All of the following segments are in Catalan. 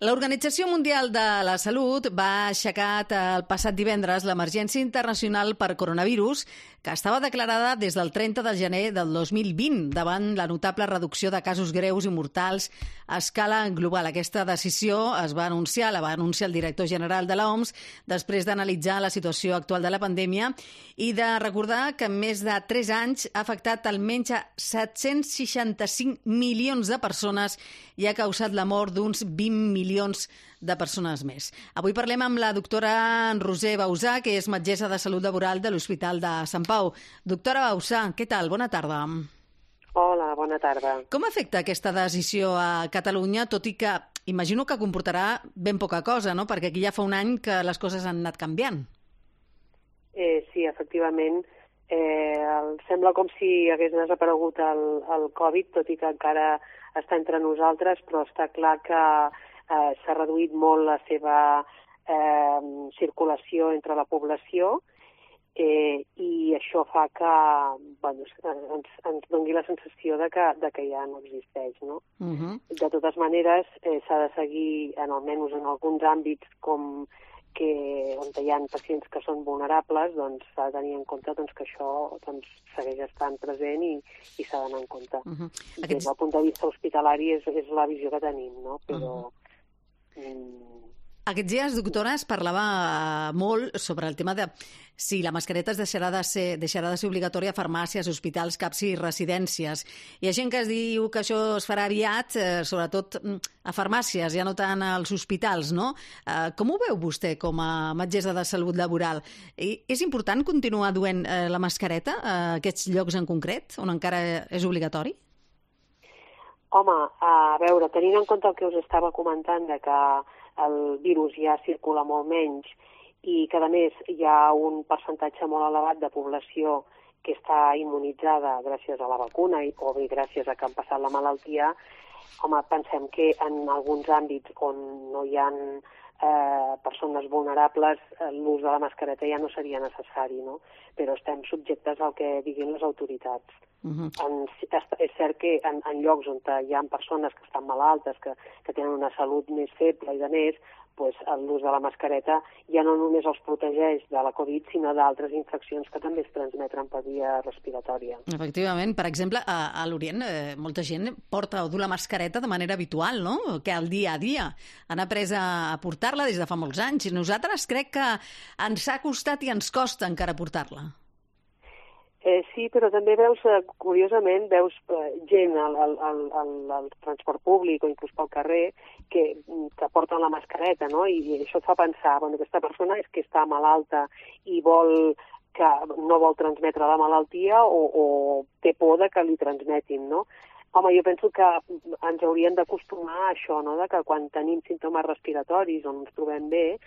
L'Organització Mundial de la Salut va aixecar el passat divendres l'emergència internacional per coronavirus, que estava declarada des del 30 de gener del 2020, davant la notable reducció de casos greus i mortals a escala global. Aquesta decisió la va anunciar el director general de l'OMS després d'analitzar la situació actual de la pandèmia i de recordar que en més de 3 anys ha afectat almenys a 765 milions de persones i ha causat la mort d'uns 20 milions de persones més. Avui parlem amb la doctora Roser Bausà, que és metgessa de salut laboral de l'Hospital de Sant Pau. Doctora Bausà, què tal? Bona tarda. Hola, bona tarda. Com afecta aquesta decisió a Catalunya, tot i que imagino que comportarà ben poca cosa, no? Perquè aquí ja fa un any que les coses han anat canviant. Sí, efectivament. Sembla com si hagués desaparegut el Covid, tot i que encara està entre nosaltres, però està clar que s'ha reduït molt la seva circulació entre la població i això fa que ens doni la sensació de que ja no existeix, no? De totes maneres, s'ha de seguir, almenys en alguns àmbits on hi ha pacients que són vulnerables, doncs s'ha de tenir en compte que això segueix estant present i s'ha d'anar en compte. Des del punt de vista hospitalari és la visió que tenim, no? Però... Aquests dies, doctora, es parlava molt sobre el tema de si la mascareta deixarà de ser obligatòria a farmàcies, hospitals, CAPs i residències. Hi ha gent que es diu que això es farà aviat, sobretot a farmàcies, ja no tant als hospitals, no? Com ho veu vostè com a metgessa de salut laboral? És important continuar duent la mascareta a aquests llocs en concret, on encara és obligatori? Home, a veure, tenint en compte el que us estava comentant, de que el virus ja circula molt menys i que, a més, hi ha un percentatge molt elevat de població que està immunitzada gràcies a la vacuna o bé gràcies a que han passat la malaltia, home, pensem que en alguns àmbits on no hi ha persones vulnerables, l'ús de la mascareta ja no seria necessari, no? Però estem subjectes al que diguin les autoritats. És cert que en llocs on hi ha persones que estan malaltes, que tenen una salut més feble i de més, l'ús de la mascareta ja no només els protegeix de la Covid, sinó d'altres infeccions que també es transmeten per via respiratòria. Efectivament. Per exemple, a l'Orient molta gent porta o du la mascareta de manera habitual, no? Que al dia a dia han après a portar-la des de fa molts anys. Nosaltres crec que ens ha costat i ens costa encara portar-la. Sí, però també curiosament, veus gent al transport públic o inclús pel carrer que porten la mascareta, no? I això et fa pensar, aquesta persona és que està malalta i no vol transmetre la malaltia o té por de que li transmetin, no? Home, jo penso que ens hauríem d'acostumar a això, no? De que quan tenim símptomes respiratoris on ens trobem bé,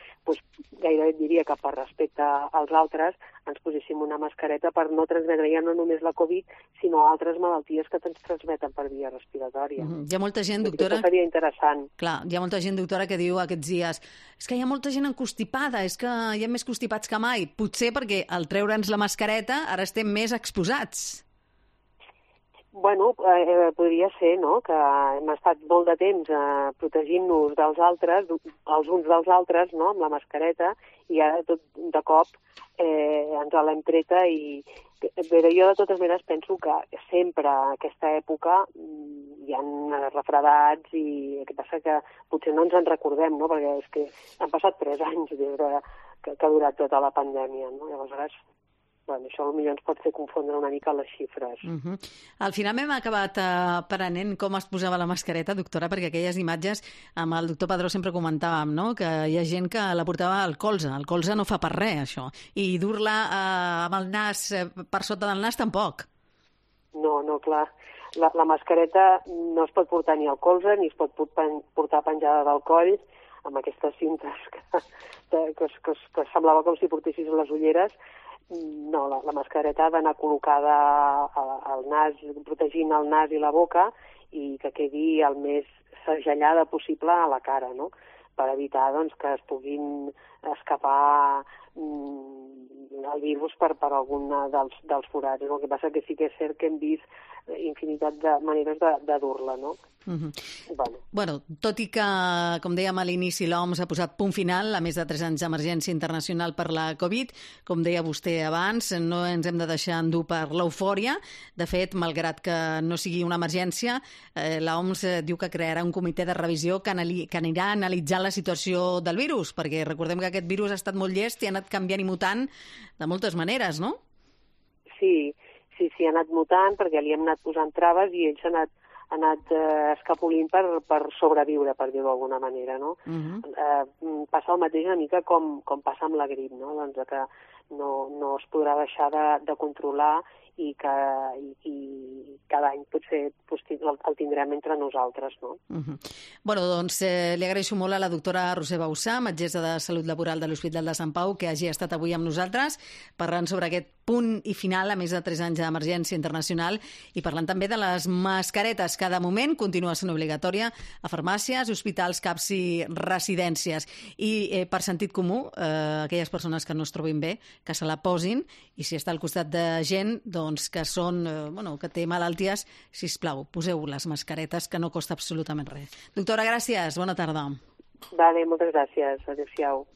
gairebé diria que per respecte als altres ens poséssim una mascareta per no transmetre ja no només la Covid, sinó altres malalties que ens transmeten per via respiratòria. Hi ha molta gent, doctora... Això seria interessant. Clar, hi ha molta gent, doctora, que diu aquests dies és que hi ha molta gent encostipada, és que hi ha més constipats que mai. Potser perquè al treure'ns la mascareta ara estem més exposats. Bueno, podria ser, no?, que hem estat molt de temps protegint-nos dels altres, els uns dels altres, no?, amb la mascareta, i ara tot de cop ens l'hem treta i... Però jo de totes maneres penso que sempre a aquesta època hi ha refredats i el que passa que potser no ens en recordem, no?, perquè és que han passat 3 anys des que ha durat tota la pandèmia, no?, i aleshores... això potser ens pot fer confondre una mica les xifres. Al final m'hem acabat aprenent com es posava la mascareta, doctora, perquè aquelles imatges amb el doctor Padró sempre comentàvem, no?, que hi ha gent que la portava al colze. El colze no fa per res, això. I dur-la amb el nas per sota del nas tampoc. No, clar. La mascareta no es pot portar ni al colze ni es pot portar penjada del coll amb aquestes cintes que semblava com si portessis les ulleres. No, la mascareta ha d'anar col·locada al nas, protegint el nas i la boca i que quedi el més segellada possible a la cara, no? per evitar doncs, que es puguin escapar el virus per algun dels forats. El que passa que sí que és cert que hem vist infinitat de maneres de dur-la, no? Bueno, tot i que, com dèiem a l'inici, l'OMS ha posat punt final a més de 3 anys d'emergència internacional per la Covid, com deia vostè abans, no ens hem de deixar endur per l'eufòria. De fet, malgrat que no sigui una emergència, l'OMS diu que crearà un comitè de revisió que anirà analitzant la situació del virus, perquè recordem que aquest virus ha estat molt llest i ha anat canviant i mutant de moltes maneres, no? Sí, ha anat mutant perquè li hem anat posant traves i ells han anat escapolint per sobreviure, per dir-ho d'alguna manera, no? Passa el mateix una mica com passa amb la grip, no? Doncs que no es podrà deixar de controlar i cada any potser el tindrem entre nosaltres, no? Bueno, doncs li agraeixo molt a la doctora Roser Bauzá, metgessa de Salut Laboral de l'Hospital de Sant Pau, que hagi estat avui amb nosaltres parlant sobre aquest punt i final a més de 3 anys d'emergència internacional i parlant també de les mascaretes, que de moment continua sent obligatòria a farmàcies, hospitals, CAPs i residències. I per sentit comú, aquelles persones que no es trobin bé, que se la posin, i si està al costat de gent doncs, que té malalties, sisplau, poseu les mascaretes, que no costa absolutament res. Doctora, gràcies. Bona tarda. Vale, moltes gràcies. Adéu-siau.